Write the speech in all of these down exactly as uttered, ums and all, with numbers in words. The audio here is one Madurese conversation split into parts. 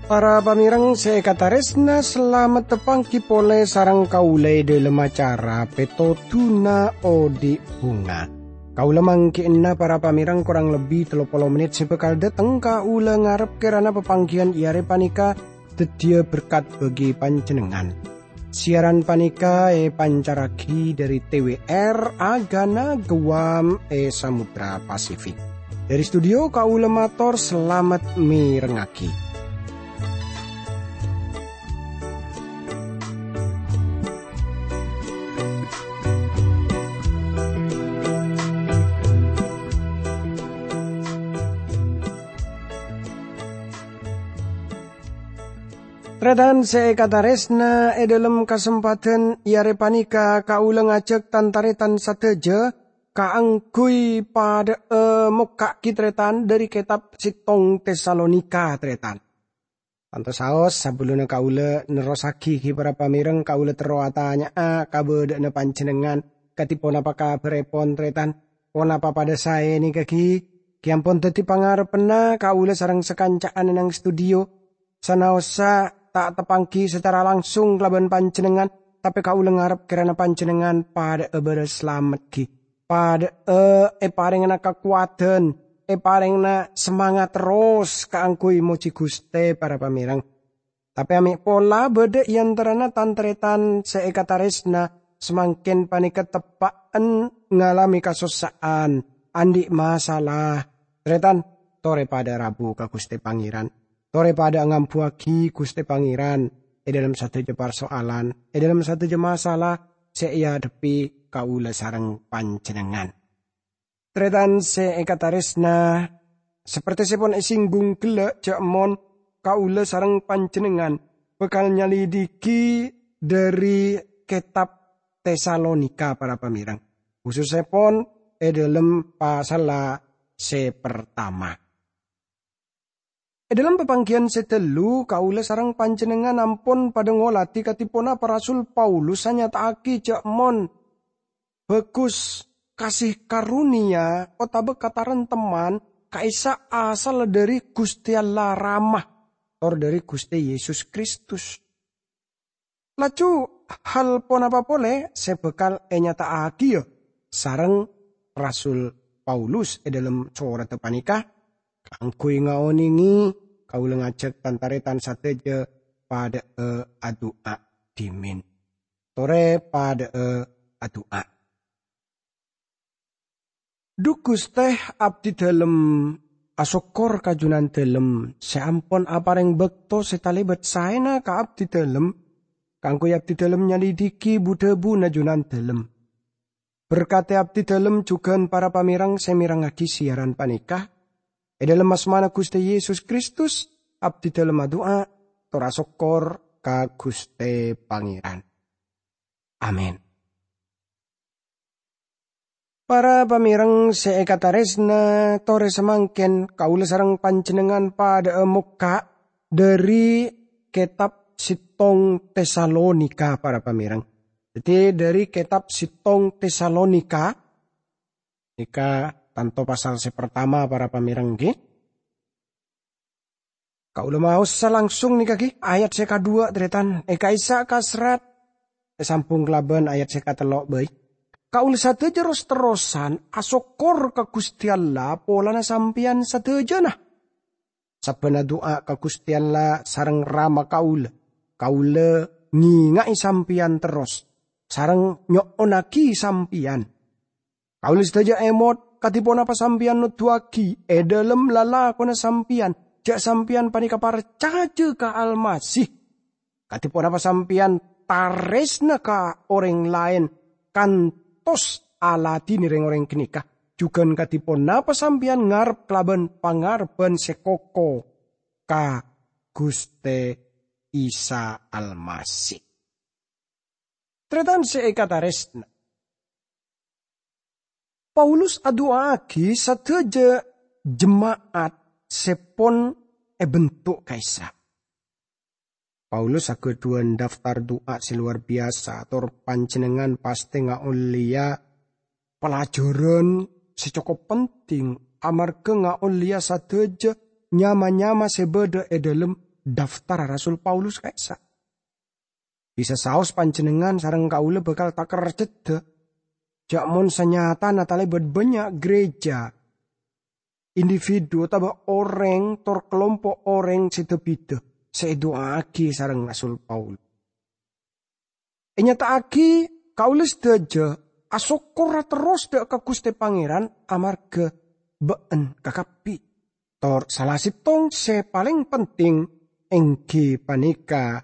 Para pamèrèng sè èkatarèsna, salamet tapangghi polè sareng kaulâ è dhâlem acara Pètodhuna Odi' Bhunga. Kaulâ mangghi'na para pamèrèng korang lebbi tello polo mennit sè bhâkal dâteng kaulâ ngarep kèrana papangghiyân è arè panèka dhâddhiyâ berkat bagi panjhennengngan. Siaran panèka èpancarraghi dhâri T W R Agana Guam è Samudra Pasifik. Dhâri studio kaulâ mator salamet mèrengngaghi. Tarètan sè èkatarèsna, è dhâlem kasempadhân è arè panèka kaulâ ngajhâk tan-tarètan sadhâjâ kaangghuy padhâ'â mokka'aghi tarètan dhâri kètab sèttong Tesalonika, tarètan. Tanto saos, sabellunna kaulâ nerrossaghi ghi para pamèrèng, kaulâ terro atanya'a kabâdâ'ânna panjhennengngan, kadhi ponapa kabhârèpon, tarètan? Ponapa padhâ saè nèka ghi? Ghi ampon dhâddhi pangarebbhânna kaulâ sareng sakanca'an è nang studio. Sanaossa ta' tapangghi sacara langsung kalabân panjhennengngan, tapè kaulâ ngarep kèrana panjhennengngan padhâ'â bârâs salamet ghi. Padhâ'â èparèngana kakowadhân, èparèngana samangat terros kaangghuy mojhi Ghustè, para pamèrèng. Tapè amè' pola bâdâ è antarana tan-tarètan sè èkatarèsna samangkèn panèka teppa'en ngalamè kasossa'an, andi' masalah. Tarètan, torè padhâ rabu ka Ghustè Pangèran. Torè padhâ ngambuwâghi Ghustè Pangèran è dhâlem sadhâjâ parsoalan, è dhâlem sadhâjâ masalah sè èadhebbhi kaulâ sareng panjhennengngan. Tarètan sè èkatarèsna, sapertèsèpon èsinggung ghellâ' jhâ' mon kaulâ sareng panjhennengngan bhâkal nyalidiki dhâri kètab Tesalonika, para pamèrèng, khusussèpon è dhâlem pasalla sè partama. È dhâlem papangghiyân sè ghâllu, kaulâ sareng panjhennengngan ampon padhâ ngolatè kadhi ponapa Rasul Paulus anyata'aghi jhâ' mon bhâghus kasih karunia otabâ kataremtemman ka'issa' asalla dhâri Ghustè Allah Rama, tor dhâri Ghustè Yesus Kristus. Laju hal ponapa polè sè bhâkal ènyata'aghiyâ sareng Rasul Paulus è dhâlem soratta panèka? Kaangghuy ngaonèngè, kaulâ ngajhâk tan-tarètan sadhâjâ padhâ'â adu'a dhimèn. Torè padhâ'â adu'a. Dhu Ghustè, abdhidhâlem asokkor ka Junandhâlem sè ampon aparèng bâkto sè talèbât saèna ka abdhidhâlem, kaangghuy abdhidhâlem nyalidiki bu-dhâbuna Junandhâlem. Berkadhi abdhidhâlem jhughân para pamèrèng sè mèrengngaghi siaran panèka. È dhâlem asmana Ghustè Yesus Kristus, abdhidhâlem adu'a, tor asokkor ka Ghustè Pangèran. Amin. Para pamèrèng sè èkatarèsna, torè samangkèn kaulâ sareng panjhennengngan padhâ'â mokka' dhâri kètab sèttong Tesalonika, para pamèrèng. Dhâddhi, dhâri kètab sèttong Tesalonika, nèka tanto pasal sè partama, para pamèrèng, ghi. Kaulâ maosa langsung nèka ghi, ayat sè kadhuwâ', tarètan, è ka'issa' ka serrat, èsambhung kalabân ayat sè katello' bhâi. Kaulâ sadhâjâ ros-terrosan asokkor ka Ghustè Allah polana sampèyan sadhâjâna. Sabbhân adu'a ka Ghustè Allah sareng Rama kaulâ, kaulâ ngènga'è sampèyan terros, sareng nyo'onnaghi sampèyan. Kaulâ sadhâjâ èmot, kadhi ponapa sampèyan noduwâghi è dhâlem lalakonna sampèyan, jhâ' sampèyan panèka parcajâ ka Almasih. Kadhi ponapa sampèyan tarèsna ka orèng laèn kantos aladhinè rèng-orèng ghânèka, jhughân kadhi ponapa sampèyan ngarep kalabân pangarebbhân sè koko ka Ghustè Isa Almasih. Tarètan sè èkatarèsna, Paulus adu'aaghi sadhâjâ jema'at sè pon èbentuk ka'issa'. Paulus aghâdhuwân daftar du'a sè lowar biyasa, tor panjhennengngan pastè ngaollèya pelajaran sè cokop penting, amarghâ ngaollèya sadhâjâ nyama-nyama sè bâdâ è dhâlem daftar Rasul Paulus ka'issa'. Bisa saos panjhennengngan sareng kaulâ bhâkal takerjhedhâ, jhâ' mon sanyatana talèbât bânnya' gereja, individu, otabâ orèng tor kalompo' orèng sè dâ-bidâ sè èdu'aaghi sareng Rasul Paulus. Ènyata'aghi, kaulâ sadhâjâ asokkorra terros dâ' ka Ghustè Pangèran amarghâ bâ'na kakabbhi. Tor sala sèttong sè palèng penting èngghi panèka,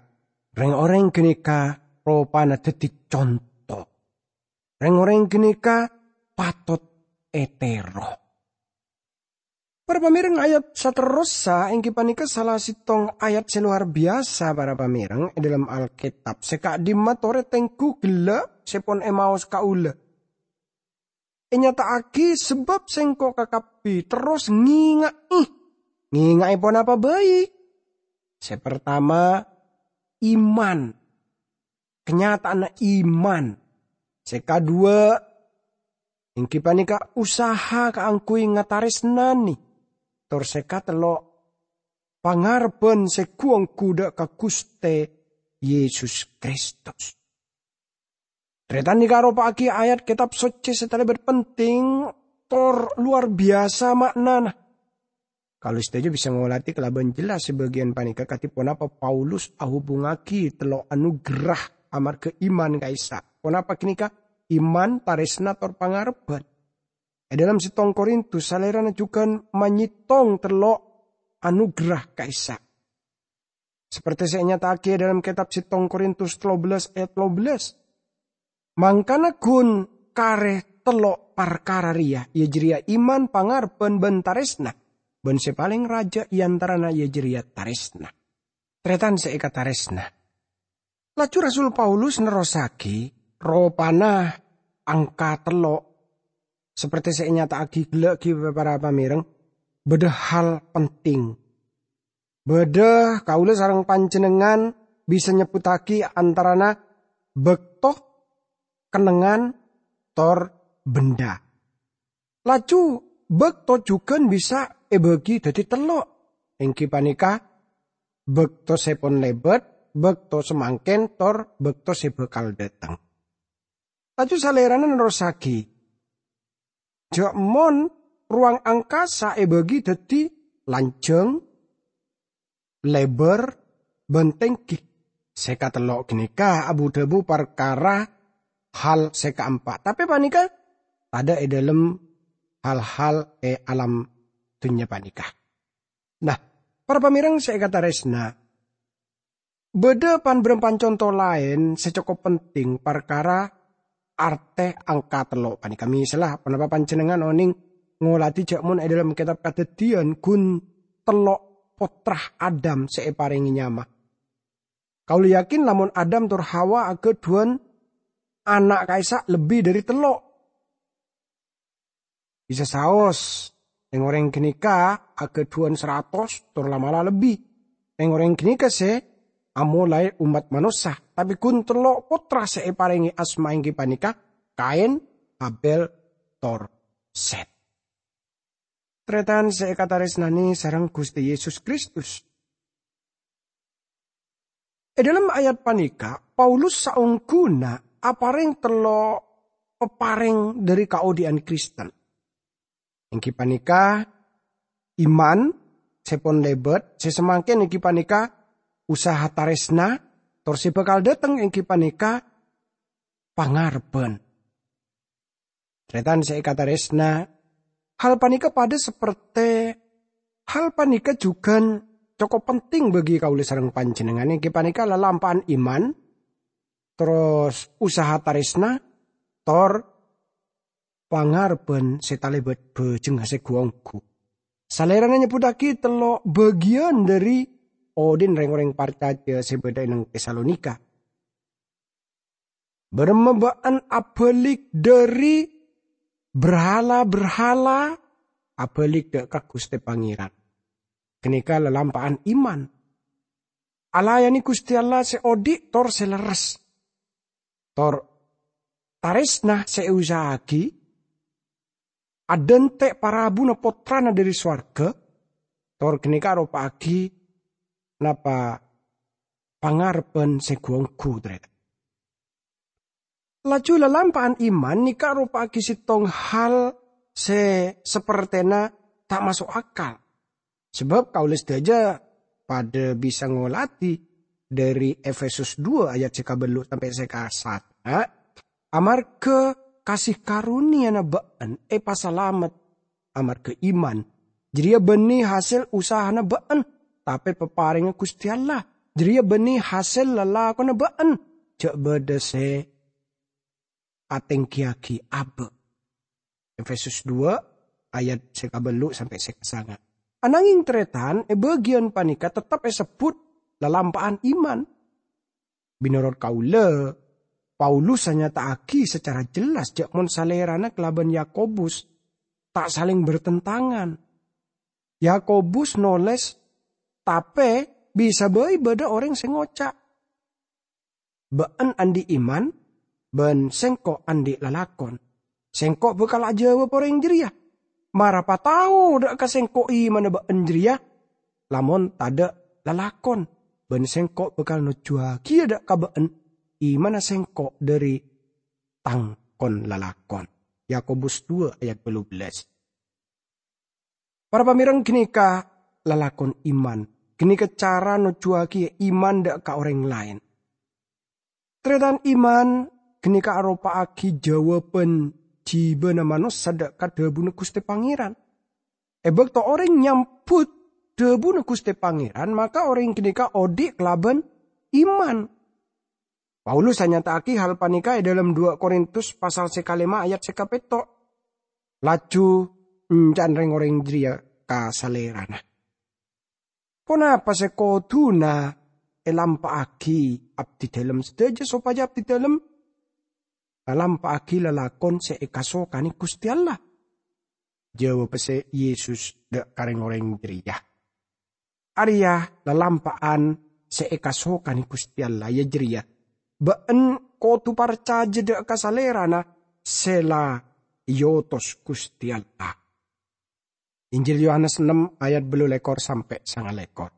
rèng-orèng ghânèka ropana dhâddhi conto. Rèng-orèng ghânèka patot ètèro. Para pamèreng, ayat saterrossa èngghi panèka sala sèttong ayat sè lowar biyasa, para pamèreng, è dhâlem Alkètab. Sè ka'dimma torè tengghu ghellâ' sè pon èmaos kaulâ. Ènyata'aghi sabâb sèngko' kakabbhi terros ngènga'è. Ngènga'è ponapa bhâi? Sè partama, iman. Kanyata'anna iman. Sè kaduwâ', èngghi panèka usaha kaangghuy ngatarèsnanè. Tor sè katello', pangarebbhân sè ghu-ongghu dâ' ka Ghustè Yesus Kristus. Tarètan nèka aropa'aghi ayat Kètab Soccè sè talèbât penting tor lowar biyasa ma'nana. Kaulâ sadhâjâ bisa ngolatè kalabân jelas sè bâgiyân panèka kadhi ponapa Paulus ahubungngaghi tello' anugerah amarghâ iman ka'issa'. Ponapa ghânèka? Iman, tarèsna, tor pangarebbhân. È dhâlem sèttong Korintus, Salèrana jhughân manyèttong tello' anugerah ka'issa'. Sapertè sè ènyata'aghi è dhâlem Kètab sèttong Korintus tello bellâs ayat tello bellâs. Mangkana ghun karè tello' parkara rèya, iyâ jârèya iman, pangarebbhân, bân tarèsna. Bân sè palèng rajâ è antarana iyâ jârèya tarèsna. Tarètan sè èkatarèsna. Laju Rasul Paulus nerrossaghi, ropana angka tello', sapertè sè ènyata'aghi ghellâ' ghi para pamèreng, bâdâ hal penting. Bâdâ kaulâ sareng panjhennengngan bisa nyebbhuttaghi antarana bâkto, kennengngan, tor bhendhâ. Laju bâkto jhughân bisa èbâghi dhâddhi tello', èngghi panèka bâkto sè pon lèbât, bâkto samangkèn, tor bâkto sè bhâkal dâteng. Laju Salèrana nerrossaghi, jhâ' mon rowang angkasa èbâghi dhâddhi lanjhâng, lèbâr, bân tèngghi. Sè katello' ghânèka abu-dhâbu parkara hal sè kaempa', tapè panèka tadâ' è dhâlem hal-hal è alam dhunnya panèka. Nah, para pamèreng sè èkatarèsna, bâdâ pan-bârâmpan conto laèn sè cokop penting parkara artè angka tello' panèka. Misalla, ponapa panjhennengngan onèng ngolatè jhâ' mon è dhâlem Kètab Kadhâddhiyân ghun tello' pottra Adam sè èparèngè nyama? Kaulâ yakin lamon Adam tor Hawa aghâdhuwân ana' ka'issa' lebbi dhâri tello'. Bisa saos, rèng-orèng ghânèka aghâdhuwân saratos tor la'-mala' lebbi. Rèng-orèng ghânèka sè amolaè ommat manossa, tapè ghun tello' pottra sè èparèngè asma èngghi panèka Kain, Habel, tor Sèt. Tarètan sè èkatarèsnanè sareng Ghustè Yesus Kristus. È dhâlem ayat panèka, Paulus saongghuna aparèng tello' paparèng dhâri kaodi'ân Kristen. Èngghi panèka iman sè pon lèbât, sè samangkèn èngghi panèka usaha tarèsna, tor sè bhâkal dâteng èngghi panèka pangarebbhân. Tarètan sè èkatarèsna, hal panèka padâ sapertè, hal panèka jhughân cokop penting bagi kaulâ sareng panjhennengngan, èngghi panèka lalampa'an iman, terros usaha tarèsna, tor pangarebbhân sè talèbât bhâjhengnga sè ghu-ongghu. Salèrana nyebbhuttaghi tello' bâgiyân dhâri odi'na rèng-orèng parcajâ sè bâdâ è neng Tesalonika. Bârâmma bâ'na abâlik dhâri berhala-berhala, abâlik dâ' ka Ghustè Pangèran? Ghânèka lalampa'an iman. alayane Guste Allah se odhi' tor se lerres. Tor taresna se eusaha'agi adhante' parabuna Pottrana dhari sowarga, tor ganeka aropa'agi napa pangarebban se gu-onggu, Tare. Laju lalampa'an iman neka aropa'agi settong hal se sapertena ta' maso' akal. Sabab kaula sadaja padha bisa ngoladi dhari Efesus dua ayat se kabellu' sampe' se kasatona, "Amarga kasih karuniyana ba'en epasalamet amarga iman. Jareya banne hasel usahana ba'en, tape paparengnga Guste Allah. Jareya banne hasel lalakonna ba'en, ja' badha se atenggiyagi aba'." Efesus dua ayat se kabellu' sampe' se kasanga. Ananging, taretan, e bagiyan paneka tettep esebbut lalampa'an iman. Menorot kaula, Paulus anyata'agi sacara jelas ja' mon salerana kalaban Yakobus ta' saleng bertentangan. Yakobus noles, "Tape bisa bai badha oreng se ngoca', 'Ba'en andhi' iman, ban sengko' andhi' lalakon.' Sengko' bakal ajawab oreng jareya, 'Mara patao dha' ka sengko' imanna ba'en jareya, lamon tadha' lalakon?' Ban sengko' bakal nojjuwagiya dha' ka ba'en imanna sengko' dhari tang kon-lalakon." Yakobus dua ayat bellubellas. Para pamereng, ganeka lalakon iman. Ganeka cara nojjuwagi iman dha' ka oreng laen. Taretan, iman ganeka aropa'agi jawaban jibana manossa dha' ka dhabuna Guste Pangeran. E bakto oreng nyambut dhabuna Guste Pangeran, maka oreng ganeka odhi' kalaban iman. Paulus anyata'agi hal paneka e dhalem dua Korintus pasal se kalema ayat se kapetto'. Laju encan reng-oreng jareya ka salerana. Ponapa se koduna elampa'agi abdidalem sadaja sopaja abdidalem ngalampa'agi lalakon se ekasokane Guste Allah? Jawab se Yesus dha' ka reng-oreng jareya, "Areya lalampa'an se ekasokane Guste Allah, iya jareya, ba'en kodu parcaja dha' ka Salerana se la eotos Guste Allah." Injil Yohanes ennem ayat bellulekor sampe' sangalekor.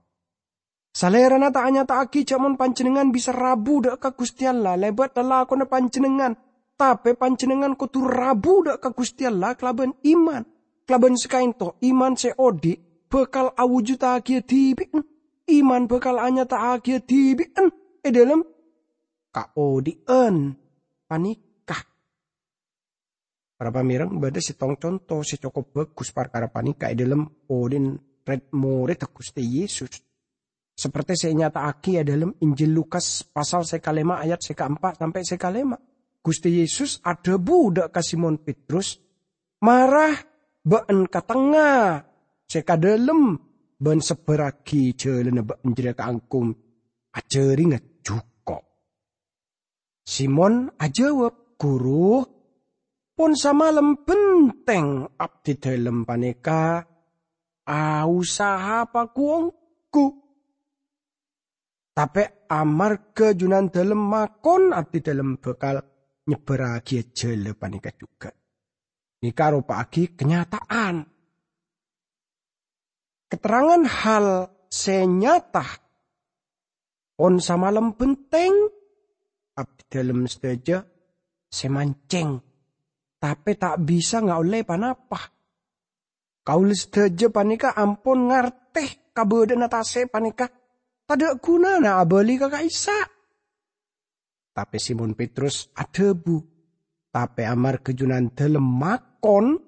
Salerana ta' anyata'agi ja' mon panjennengngan bisa rabu dha' ka Guste Allah lebat lalakonna panjennengngan, tape panjennengngan kodu rabu dha' ka Guste Allah kalaban iman. Kalaban sakaento, iman se odhi' bakal awujudagiya dibi'en. Iman bakal anyata'agiya dibi'en e dhalem kaodhi'an paneka. Para pamereng, badha settong conto se cokop bagus parkara paneka e dhalem odhi'na red-moredda Guste Yesus, saperte se enyata'agi e dhalem Injil Lukas pasal se kalema ayat se kaempa' sampe' se kalema. Guste Yesus adhabu dha' ka Simon Petrus, "Mara ba'en ka tengnga se ka dhalem ban sebbarragi jalanna ba'en jareya kaanggun ajaringa juko'." Simon ajawab, "Guru, pon samalem benteng abdidalem paneka ausaha pagu-onggu. Tape amarga Junandalem makon, abdidalem bakal nyebbarragiya jala paneka jugan." Neka aropa'agi kanyata'an. Keterangan hal se nyata, pon samalem benteng, abdidalem sadaja se manceng, tape ta' bisa ngaolle pa-napa. Kaula sadaja paneka ampon ngarte kabadha'anna tase' paneka tadha' gunana abali ka ka'issa'. Tape Simon Petrus adhabu, "Tape amarga Junandalem makon,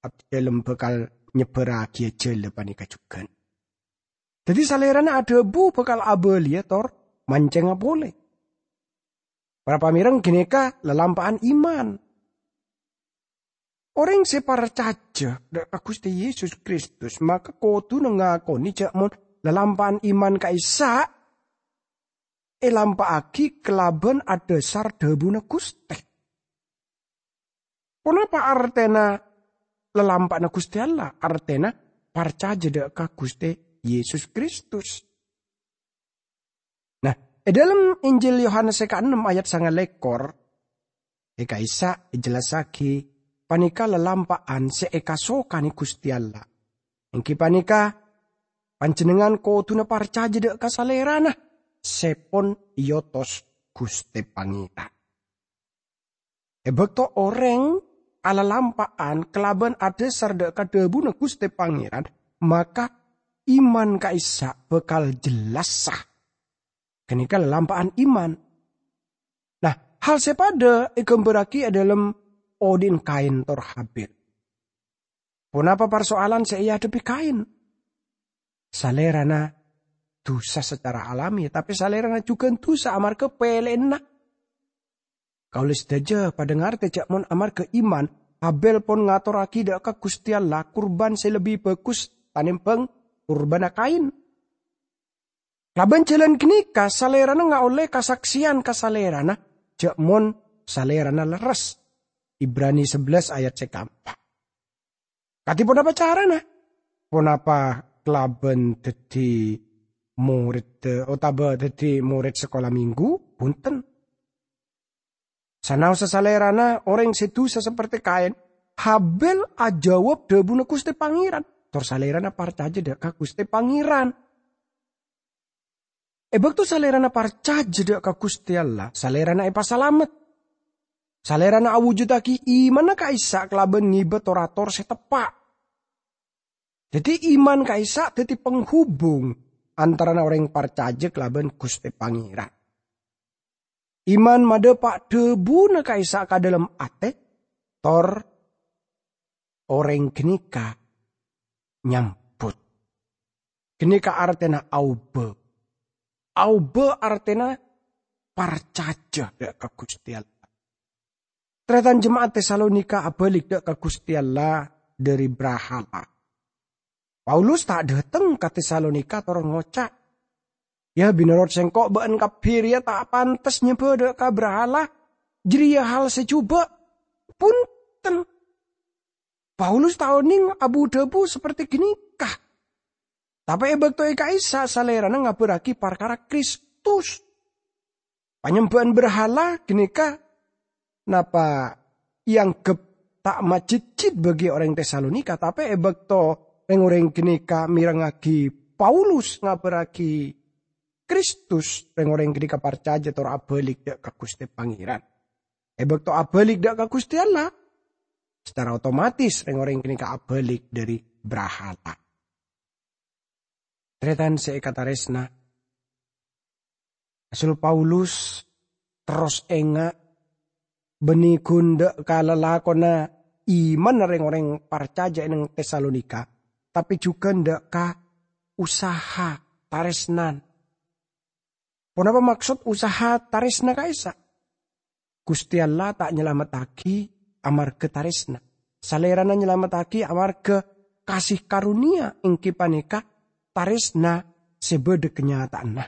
abdidalem bakal nyebbarragiya jala paneka jugan." Daddi, Salerana adhabu bakal abaliya tor mancengnga pole. Para pamereng, ganeka lalampa'an iman. Oreng se parcaja dha' ka Guste Yesus Kristus maka koduna ngakone ja' mon lalampa'an iman ka'issa' elampa'agi kalaban adhasar dhabuna Guste. Ponapa artena lalampa'anna Guste Allah? Artena parcaja dha' ka Guste Yesus Kristus. È dhâlem Injil Yohanes sè kaennem ayat sangalèkor, è ka'issa' èjellassaghi panèka lalampa'an sè èkasokanè Ghustè Allah. Èngghi panèka, panjhennengngan kodhuna parcajâ dhâ' ka Salèrana sè pon èotos Ghustè Pangèran. È bâkto orèng alalampa'an kalabân adhâsar dhâ' ka dhâbuna Ghustè Pangèran, maka iman ka'issa' bhâkal jellassa. Ghânèka lalampa'an iman. Nah, hal sè padâ èghâmbhârraghi è dhâlem odi'na Kain tor Habil. Ponapa parsoalan sè èadhebbhi Kain? Salèrana dusa sacara alami, tapè salèrana jhughân dusa amarghâ pèlèyanna. Kaulâ sadhâjâ padâ ngartè jhâ' mon amarghâ iman, Habil pon ngatorraghi dhâ' ka Ghustè Allah kurban sè lebbi bhâghus tanèmbhâng kurbanna Kain. Kalabân jhâlân ghânèka, Salèrana ngaollè kasaksèyan ka Salèrana jhâ' mon Salèrana lerres. Ibrani sabellâs ayat sè kaempa'. Kadhi ponapa carana? Ponapa kalabân dhâddhi morèdda otabâ dhâddhi morèd sakola minggu? Bhunten. Sanaossa Salèrana orèng sè dusa saperte Kain, Habil ajâwâb dhâbuna Ghustè Pangèran, tor Salèrana parcajâ dhâ' ka Ghustè Pangèran. È bâkto Salèrana parcajâ dhâ' ka Ghustè Allah, Salèrana èpasalamet. Salèrana awujudaghi imanna ka'issa' kalabân ngibâ tor-ator sè teppa'. Dhâddhi, iman ka'issa' dhâddhi panghubung antarana orèng parcajâ kalabân Ghustè Pangèran. Iman madhâpa' dhâbuna ka'issa' ka dhâlem atè, tor orèng ghânèka nyambut. Ghânèka artèna aobâ. Aobâ artèna parcajâ dhâ' ka Ghustè Allah. Tarètan jema'at Tesalonika abâlik dhâ' ka Ghustè Allah dhâri brahala. Paulus ta' dhâteng ka Tesalonika tor ngoca', "Ya, bhinorot sèngko' bâ'ân kabbhi rèya ta' pantes nyembâ dhâ' ka brahala. Jârèya hal sè jhubâ'." Bhunten. Paulus ta' onèng abu-dhâbu saperte ghânèka. Tapè è bâkto è ka'issa' salèrana ngabârraghi parkara Kristus. Panyembhâ'ân brahala ghânèka napa èangghep ta' majhejjhit bagi orèng Tesalonika, tapè è bâkto rèng-orèng ghânèka mèrengngagi Paulus ngabârraghi Kristus, rèng-orèng ghânèka parcajâ tor abâlik dhâ' ka Ghustè Pangèran. È bâkto abâlik dhâ' ka Ghustè Allah, secara otomatis rèng-orèng ghânèka abâlik dhâri brahala. Tarètan sè èkatarèsna, Rasul Paulus terros enga' bânnè ghun dhâ' ka lalakonna imanna rèng-orèng parcajâ è neng Tesalonika, tapè jhughân dhâ' ka usaha tarèsnan. Ponapa maksod usaha tarèsna ka'issa'? Ghustè Allah ta' nyalamettaghi amarghâ tarèsna. Salèrana nyalamettaghi amarghâ kasih karunia, èngghi panèka tarèsna sè bâdâ kanyata'anna.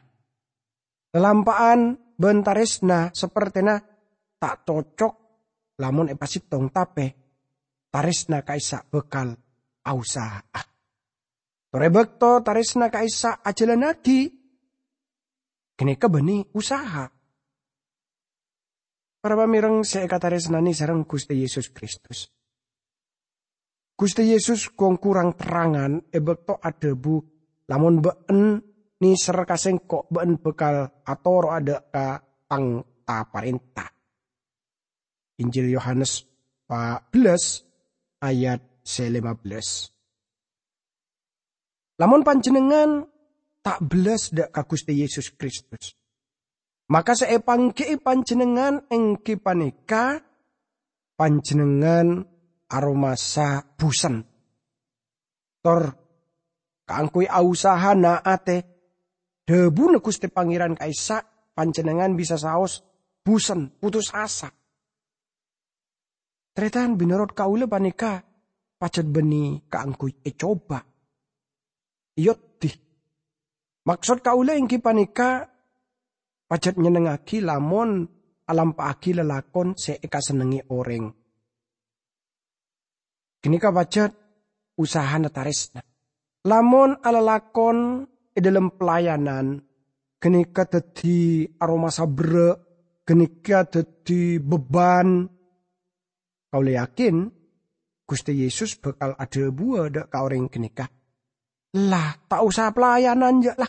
Lalampa'an bân tarèsna sapertèna ta' cocok lamon èpasèttong, tapè tarèsna ka'issa' bhâkal ausaha'a. Tor è bâkto tarèsna ka'issa' ajhâlannaghi, ghânèka bânnè usaha. Para pamèreng sè èkatarèsnanè sareng Ghustè Yesus Kristus. Ghustè Yesus ghun korang terrangan è bâkto adhâbu, "Lamon bâ'ân nèser ka Sèngko', bâ'ân bhâkal atoro'a dhâ' ka Tang ta-parènta." Injil Yohanes pa' bellâs ayat sè lèma bellâs. Lamon panjhennengngan ta' bellas dhâ' ka Ghustè Yesus Kristus, maka sè èpangghi'i panjhennengngan èngghi panèka panjhennengngan aromasa busen. Tor kaangghuy ausaha na'atè dhâbuna Ghustè Pangèran ka'issa', panjhennengngan bisa saos busen, putus asa. Tarètan, mènorot kaulâ panèka pajhât bânnè kaangghuy ècoba, èoddhi. Maksod kaulâ èngghi panèka pajhât nyennengngaghi lamon alampa'aghi lalakon sè èkasennengngè orèng. Ghânèka pajhât usahana tarèsna. Lamon alalakon è dhâlem pelayanan, ghânèka dhâddhi aromasa berrâ', ghânèka dhâddhi beban. Kaulâ yakin Ghustè Yesus bhâkal adhâbuwâ dâ' ka orèng ghânèka, "La, ta' osa pelayanan, jâ', la.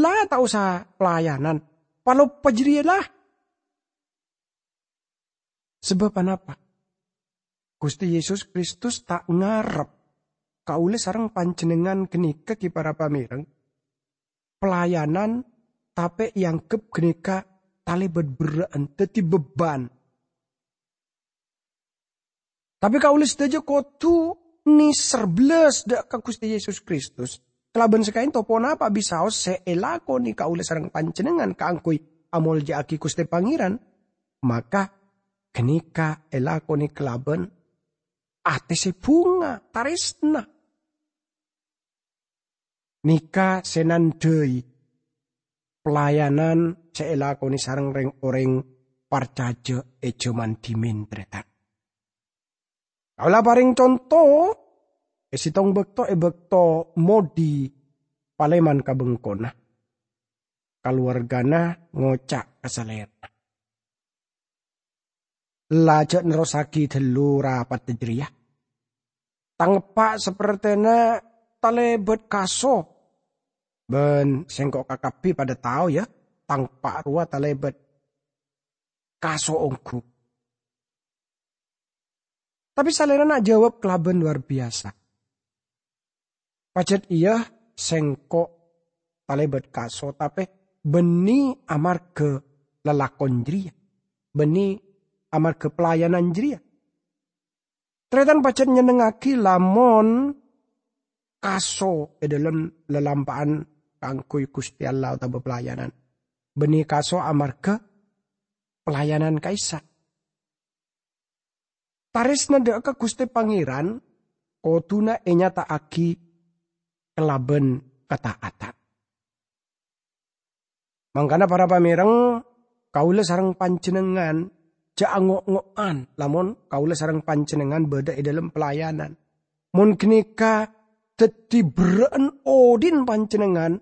La, ta' osa pelayanan. Paloppa jârèya, la." Sabâb anapa? Ghustè Yesus Kristus ta' ngarep kaulâ sareng panjhennengngan ghânèka, ghi para pamèreng, pelayanan tapè èangghep ghânèka talèbât berrâ'ân, dhâddhi beban. Tapè kaulâ sadhâjâ kodhu nèser bellas dâ' ka Ghustè Yesus Kristus. Kalabân sakaènto ponapa bisaos sè èlakonè kaulâ sareng panjhennengngan kaangghuy amolja'aghi Ghustè Pangèran, maka ghânèka èlakonè kalabân atè sè bhunga, tarèsna. Nèka sè nandhâi pelayanan sè èlakonè sareng rèng-orèng parcajâ è jhâman dhimèn, tarètan. Kaulâ parèng conto, è sèttong bâkto, è bâkto Modi palèman ka bengkona, kalowargana ngoca' ka salèrana, "La, jhâ' nerrossaghi ghâllu rapatta jârèya. Tang eppa' sapertèna talèbât kaso, bân sèngko' kakabbhi padâ tao, ya, tang eppa' rowa talèbât kaso ongghu." Tapè salèrana ajâwâb kalabân lowar biyasa, "Pajhât iyâ, sèngko' talèbât kaso, tapè bânnè amarghâ lalakon jârèya, bânnè amarghâ pelayanan jârèya." Tarètan, pajhât nyennengngaghi lamon kaso è dhâlem lalampa'an kaangghuy Ghustè Allah otabâ pelayanan. Bânnè kaso amarghâ pelayanan ka'issa'. Tarèsna dâ' ka Ghustè Pangèran kodhuna ènyata'aghi kalabân kataatan. Mangkana, para pamèreng, kaulâ sareng panjhennengngan jhâ' ango'-ngo'an lamon kaulâ sareng panjhennengngan bâdâ è dhâlem pelayanan. Mon ghânèka dhâddhi berrâ'ân odi'na panjhennengngan,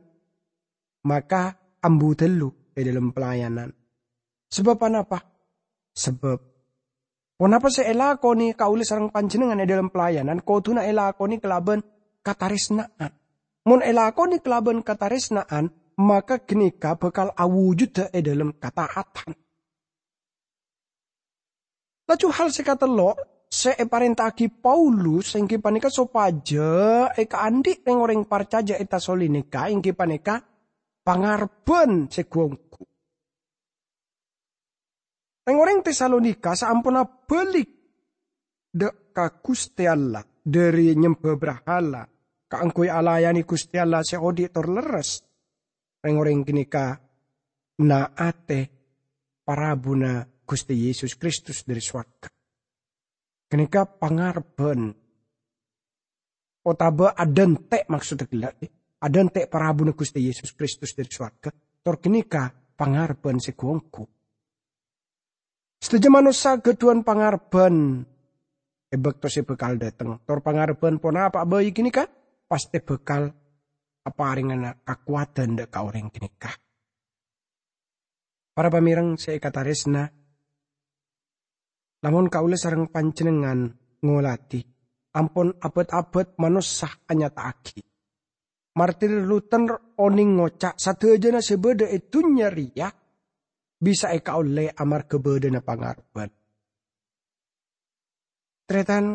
maka ambu ghâllu è dhâlem pelayanan. Sabâb anapa? Sabâb ponapa sè èlakonè kaulâ sareng panjhennengngan è dhâlem pelayanan kodhuna èlakonè kalabân katarèsna'an. Mon èlakonè kalabân katarèsna'an, maka ghânèka bhâkal awujuddhâ è dhâlem kataatan. Laju hal sè katello' sè èparènta'aghi Paulus èngghi panèka sopajâ èkaandhi' rèng-orèng parcajâ è Tesalonika èngghi panèka pangarebbhân sè ghu-ongghu. Rèng-orèng Tesalonika saamponna bâli' dâ' ka Ghustè Allah dhâri nyemba brahala kaangghuy alayanè Ghustè Allah sè odi' tor lerres. Rèng-orèng ghânèka na'atè parabuna Ghustè Yesus Kristus dhâri sowarghâ. Ghânèka pangarebbhân otabâ adhânte', maksoddhâ ghellâ', adhânte' parabuna Ghustè Yesus Kristus dhâri sowarghâ, tor ghânèka pangarebbhân sè ghu-ongghu. Sadhâjâ manossa ghâdhuwân pangarebbhân è bâkto sè bhâkal dâteng, tor pangarebbhân ponapa'a bhâi ghânèka pastè bhâkal aparèngana kakowadhân dâ' ka orèng ghânèka. Para pamèreng sè èkatarèsna, lamon kaulâ sareng panjhennengngan ngoladhi, ampon abât-abât manossa anyata'aghi. Martin Luther onèng ngoca', "Sadhâjâna sè bâdâ è dhunnya rèya bisa èkaollè amarghâ bâdâna pangarebbhân." Tarètan,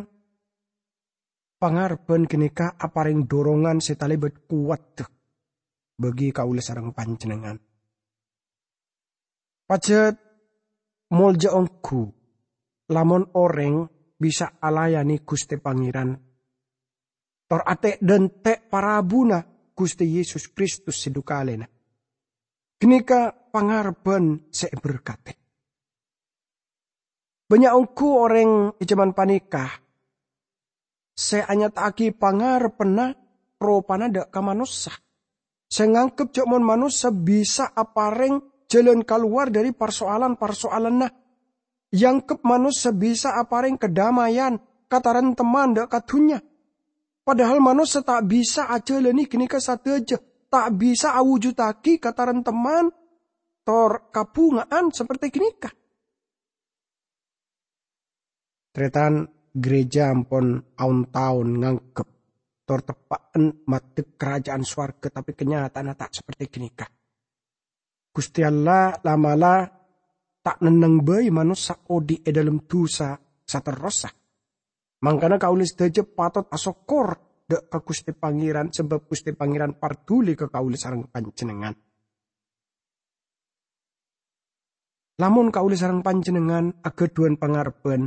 pangarebbhân ghânèka aparèng dorongan sè talèbât kowadhâ bagi kaulâ sareng panjhennengngan. Pajhât molja ongghu, lamon orèng bisa alayanè Ghustè Pangèran, tor atè'-dhânte' parabuna Ghustè Yesus Kristus sè dhu kalèna. Ghânèka pangarebbhân sè èberkadhi. Bânnya' ongghu orèng è jhâman panèka sè anyata'aghi pangarebbhânna ropana dâ' ka manossa, sè nganggep jâ' mon manossa bisa aparèng jhâlân kalowar dhâri parsoalan-parsoalanna, èanggep manossa bisa aparèng kadhâmâyan, katarèmtemman dâ' ka dhunnya. Padahal manossa ta' bisa ajhâlânè ghânèka sadhâjâ. ta' bisa awujudaghi kataremteman tor kabhunga'an saperte ganeka. Taretan, gereja ampon aon-taon nganggep tor teppa'en maddek karaja'an sowarga, tape kanyata'anna ta' saperte ganeka. Guste Allah la'-mala' ta' nenneng bai manossa odhi' e dhalem dusa saterrossa. Mangkana kaula sadaja patot asokkor dha' ka Guste Pangeran, sabab Guste Pangeran parduli ka kaula sareng panjennengngan. Lamon kaula sareng panjennengngan agadhuwan pangarebban,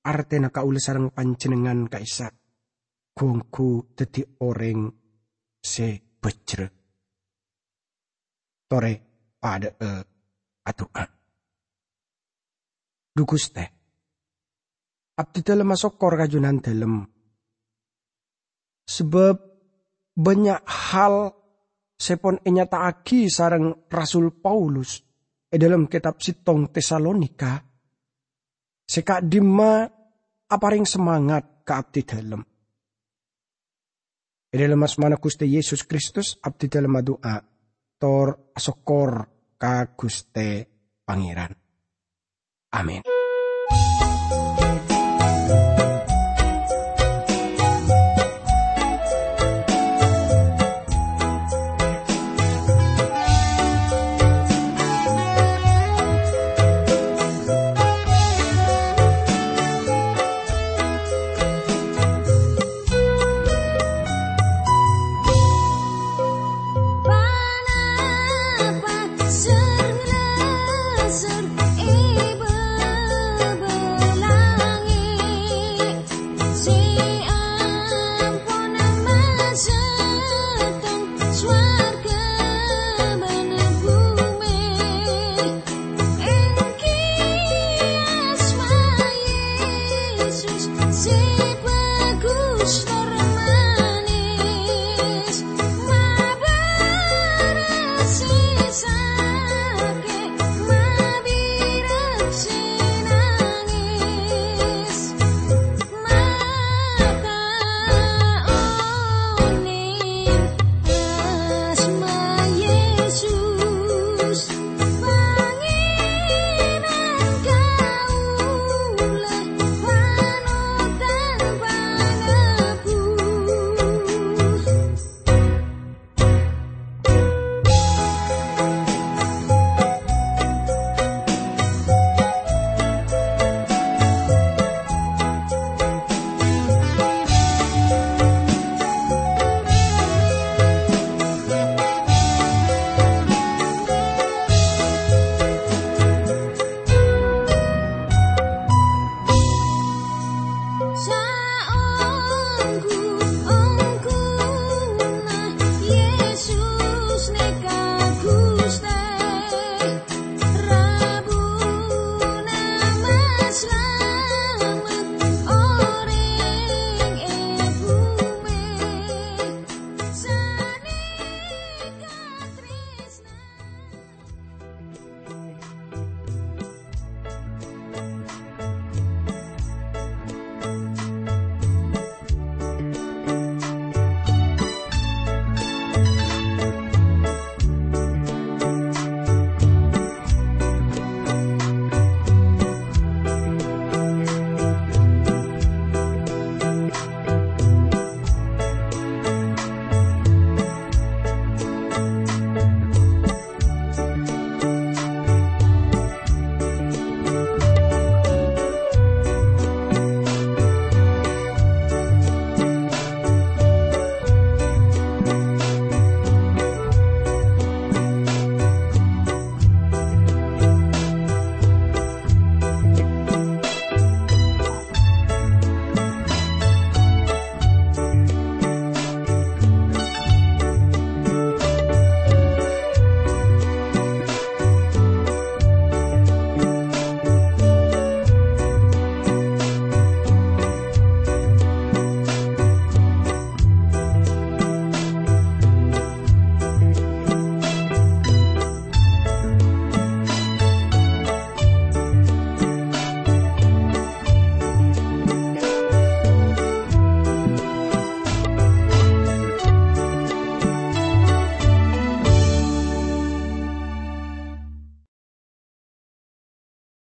artena kaula sareng panjennengngan ka'issa' gu-onggu daddi oreng se bhâjhrâ. Tore padha'a adu'a. Dhu Guste, abdidalem asokkor ka Junandalem, sabab bannya' hal se pon enyata'agi sareng Rasul Paulus e dhalem ketab settong Tesalonika, se ka'dimma apareng samangat ka abdidalem. E dhalem asmana Guste Yesus Kristus, abdidalem adu'a tor asokkor ka Guste Pangeran. Amin.